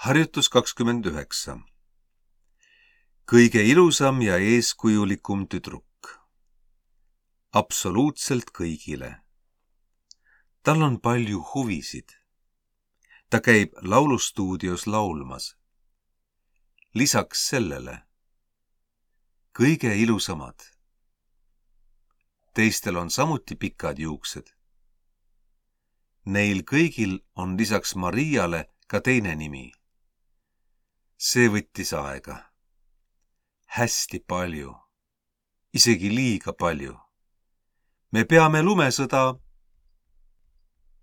Harjutus 29. Kõige ilusam ja eeskujulikum tüdruk. Absoluutselt kõigile. Tal on palju huvisid. Ta käib laulustuudios laulmas. Lisaks sellele. Kõige ilusamad. Teistel on samuti pikad juuksed. Neil kõigil on lisaks Mariale ka teine nimi. See võttis aega. Hästi palju. Isegi liiga palju. Me peame lumesõda